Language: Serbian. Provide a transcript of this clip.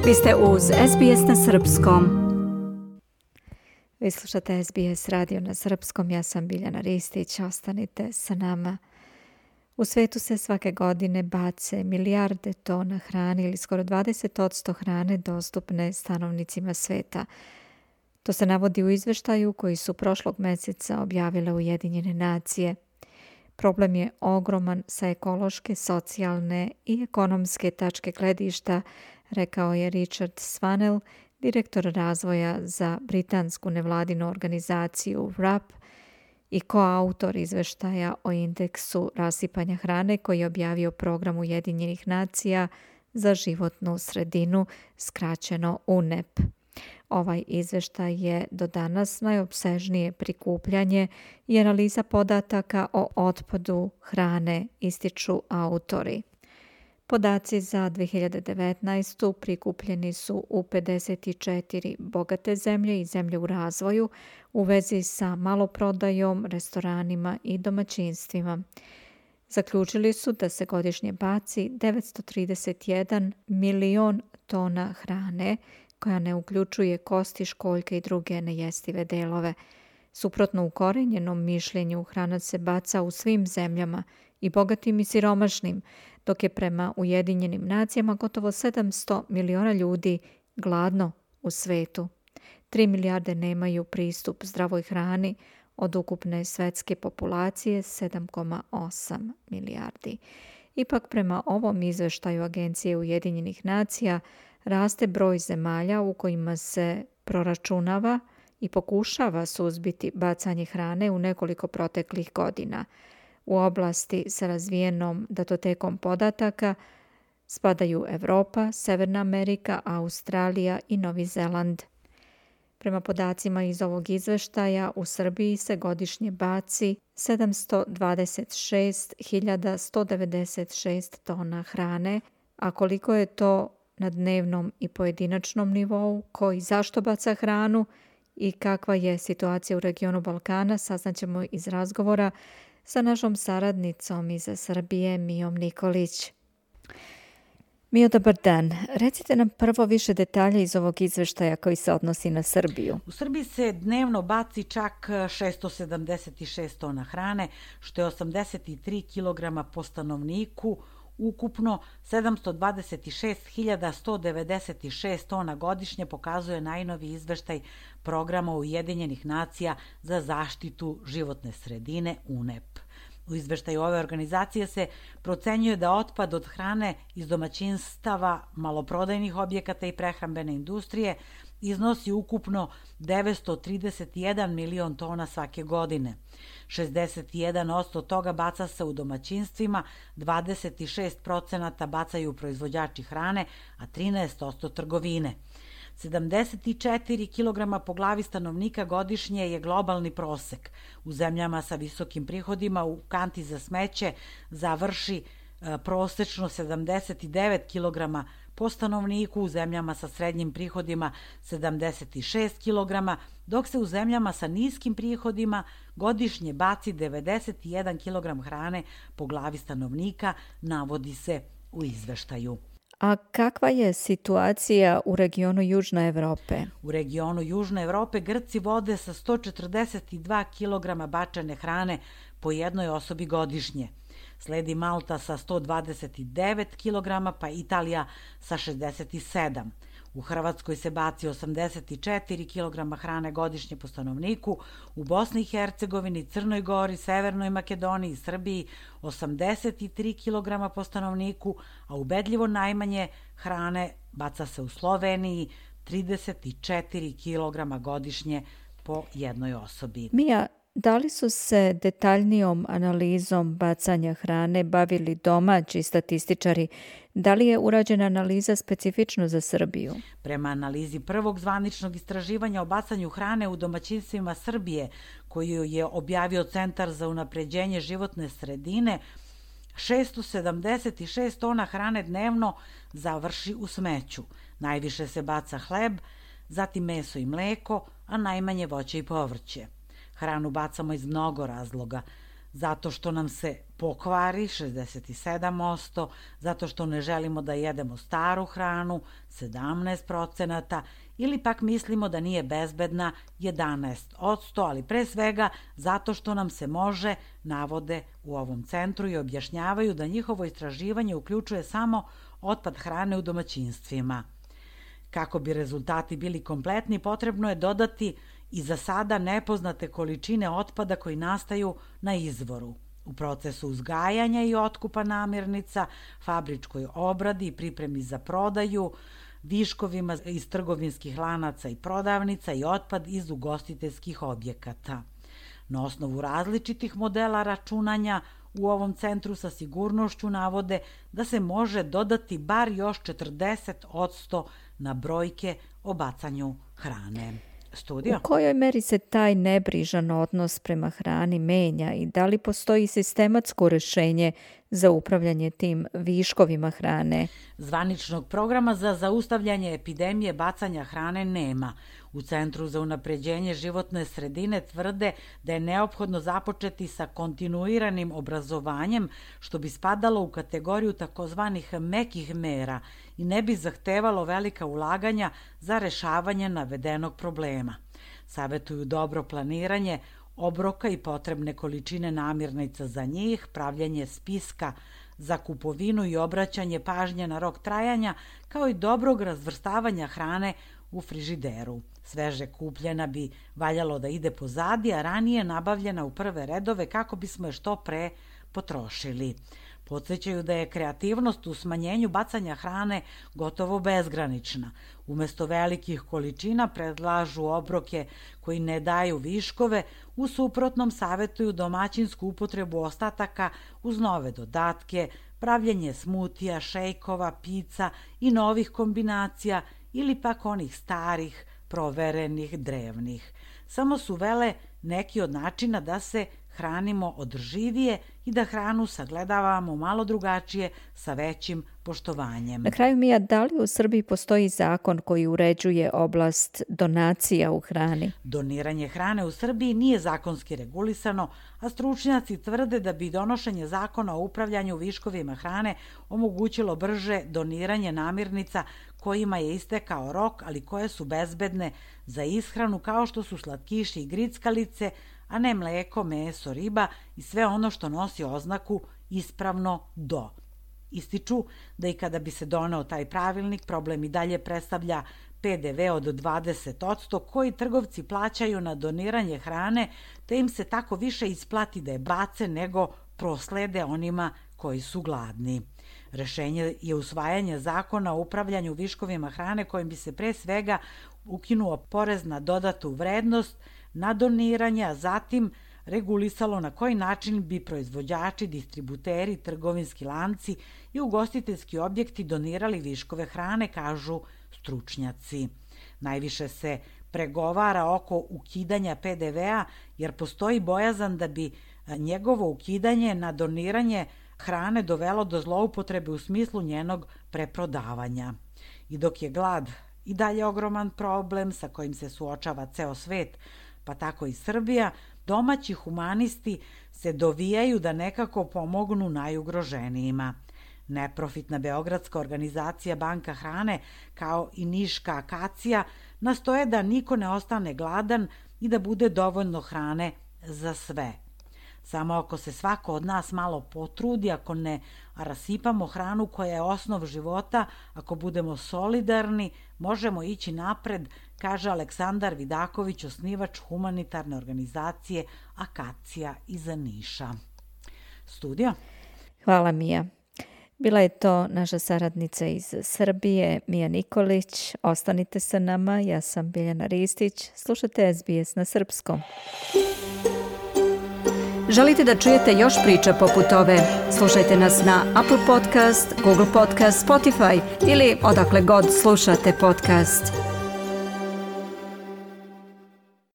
Vi ste uz SBS na srpskom. Vi slušate SBS radio na srpskom. Ja sam Biljana Ristić. Ostanite sa nama. U svetu se svake godine bace milijarde tona hrane ili skoro 20% hrane dostupne stanovnicima sveta. To se navodi u izveštaju koji su prošlog mjeseca objavile Ujedinjene nacije. Problem je ogroman sa ekološke, socijalne i ekonomske tačke gledišta, rekao je Richard Swanell, direktor razvoja za britansku nevladinu organizaciju WRAP i koautor izveštaja o indeksu rasipanja hrane koji je objavio program Ujedinjenih nacija za životnu sredinu, skraćeno UNEP. Ovaj izveštaj je do danas najopsežnije prikupljanje i analiza podataka o otpadu hrane, ističu autori. Podaci za 2019. prikupljeni su u 54 bogate zemlje i zemlje u razvoju u vezi sa maloprodajom, restoranima i domaćinstvima. Zaključili su da se godišnje baci 931 milion tona hrane, koja ne uključuje kosti, školjke i druge nejestive delove. Suprotno ukorenjenom mišljenju, hrana se baca u svim zemljama, i bogatim i siromašnim, dok je prema Ujedinjenim nacijama gotovo 700 miliona ljudi gladno u svetu. 3 milijarde nemaju pristup zdravoj hrani od ukupne svetske populacije 7,8 milijardi. Ipak prema ovom izveštaju Agencije Ujedinjenih nacija raste broj zemalja u kojima se proračunava i pokušava suzbiti bacanje hrane u nekoliko proteklih godina. U oblasti sa razvijenom datotekom podataka spadaju Evropa, Severna Amerika, Australija i Novi Zeland. Prema podacima iz ovog izveštaja, u Srbiji se godišnje baci 726.196 tona hrane, a koliko je to na dnevnom i pojedinačnom nivou, ko i zašto baca hranu i kakva je situacija u regionu Balkana, saznaćemo iz razgovora sa našom saradnicom iz Srbije, Mijom Nikolić. Mijo, dobar dan. Recite nam prvo više detalja iz ovog izveštaja koji se odnosi na Srbiju. U Srbiji se dnevno baci čak 676 tona hrane, što je 83 kg po stanovniku, ukupno 726.196 tona godišnje, pokazuje najnoviji izveštaj programa Ujedinjenih nacija za zaštitu životne sredine UNEP. U izveštaju ove organizacije se procenjuje da otpad od hrane iz domaćinstava, maloprodajnih objekata i prehrambene industrije iznosi ukupno 931 milion tona svake godine. 61% toga baca se u domaćinstvima, 26% bacaju proizvođači hrane, a 13% trgovine. 74 kg po glavi stanovnika godišnje je globalni prosek. U zemljama sa visokim prihodima u kanti za smeće završi prosečno 79 kg po stanovniku, u zemljama sa srednjim prihodima 76 kg, dok se u zemljama sa niskim prihodima godišnje baci 91 kg hrane po glavi stanovnika, navodi se u izveštaju. A kakva je situacija u regionu Južne Evrope? U regionu Južne Evrope Grci vode sa 142 kg bačene hrane po jednoj osobi godišnje. Sledi Malta sa 129 kg, pa Italija sa 67. U Hrvatskoj se baci 84 kg hrane godišnje po stanovniku, u Bosni i Hercegovini, Crnoj Gori, Severnoj Makedoniji i Srbiji 83 kg po stanovniku, a ubedljivo najmanje hrane baca se u Sloveniji, 34 kg godišnje po jednoj osobi. Mija, da li su se detaljnijom analizom bacanja hrane bavili domaći statističari? Da li je urađena analiza specifično za Srbiju? Prema analizi prvog zvaničnog istraživanja o bacanju hrane u domaćinstvima Srbije, koju je objavio Centar za unapređenje životne sredine, 676 tona hrane dnevno završi u smeću. Najviše se baca hleb, zatim meso i mleko, a najmanje voće i povrće. Hranu bacamo iz mnogo razloga. zato što nam se pokvari 67%, zato što ne želimo da jedemo staru hranu 17%, ili pak mislimo da nije bezbedna 11%, ali pre svega zato što nam se može, navode u ovom centru i objašnjavaju da njihovo istraživanje uključuje samo otpad hrane u domaćinstvima. Kako bi rezultati bili kompletni, potrebno je dodati i za sada nepoznate količine otpada koji nastaju na izvoru, u procesu uzgajanja i otkupa namirnica, fabričkoj obradi i pripremi za prodaju, viškovima iz trgovinskih lanaca i prodavnica i otpad iz ugostiteljskih objekata. Na osnovu različitih modela računanja u ovom centru sa sigurnošću navode da se može dodati bar još 40% na brojke o bacanju hrane. Studio. U kojoj meri se taj nebrižan odnos prema hrani menja i da li postoji sistematsko rešenje za upravljanje tim viškovima hrane? Zvaničnog programa za zaustavljanje epidemije bacanja hrane nema. U Centru za unapređenje životne sredine tvrde da je neophodno započeti sa kontinuiranim obrazovanjem, što bi spadalo u kategoriju takozvanih mekih mera i ne bi zahtevalo velika ulaganja za rešavanje navedenog problema. Savetuju dobro planiranje obroka i potrebne količine namirnica za njih, pravljanje spiska za kupovinu i obraćanje pažnje na rok trajanja, kao i dobrog razvrstavanja hrane u frižideru. Sveže kupljena bi valjalo da ide pozadi, a ranije nabavljena u prve redove kako bismo je što pre potrošili. Podsećaju da je kreativnost u smanjenju bacanja hrane gotovo bezgranična. Umesto velikih količina predlažu obroke koji ne daju viškove, u suprotnom savetuju domaćinsku upotrebu ostataka uz nove dodatke, pravljenje smutija, šejkova, pica i novih kombinacija ili pak onih starih, proverenih, drevnih. Samo su vele neki od načina da se hranimo održivije i da hranu sagledavamo malo drugačije sa većim poštovanjem. Na kraju, Mija, da li u Srbiji postoji zakon koji uređuje oblast donacija u hrani? Doniranje hrane u Srbiji nije zakonski regulisano, a stručnjaci tvrde da bi donošenje zakona o upravljanju viškovima hrane omogućilo brže doniranje namirnica kojima je istekao rok, ali koje su bezbedne za ishranu, kao što su slatkiši i grickalice, a ne mleko, meso, riba i sve ono što nosi oznaku ispravno do. Ističu da i kada bi se doneo taj pravilnik, problem i dalje predstavlja PDV od 20% koji trgovci plaćaju na doniranje hrane, te im se tako više isplati da je bace nego proslede onima koji su gladni. Rešenje je usvajanje zakona o upravljanju viškovima hrane kojim bi se pre svega ukinuo porez na dodatu vrednost na doniranje, a zatim regulisalo na koji način bi proizvođači, distributeri, trgovinski lanci i ugostiteljski objekti donirali viškove hrane, kažu stručnjaci. Najviše se pregovara oko ukidanja PDV-a jer postoji bojazan da bi njegovo ukidanje na doniranje hrane dovelo do zloupotrebe u smislu njenog preprodavanja. I dok je glad i dalje ogroman problem sa kojim se suočava ceo svet, pa tako i Srbija, domaći humanisti se dovijaju da nekako pomognu najugroženijima. Neprofitna beogradska organizacija Banka hrane, kao i niška Akacija, nastoje da niko ne ostane gladan i da bude dovoljno hrane za sve. Samo ako se svako od nas malo potrudi, ako ne rasipamo hranu koja je osnov života, ako budemo solidarni, možemo ići napred, kaže Aleksandar Vidaković, osnivač humanitarne organizacije Akacija iz Niša. Studio. Hvala, Mija. Bila je to naša saradnica iz Srbije, Mija Nikolić. Ostanite sa nama, ja sam Biljana Ristić. Slušate SBS na srpskom. Želite da čujete još priča poput ove? Slušajte nas na Apple Podcast, Google Podcast, Spotify ili odakle god slušate podcast.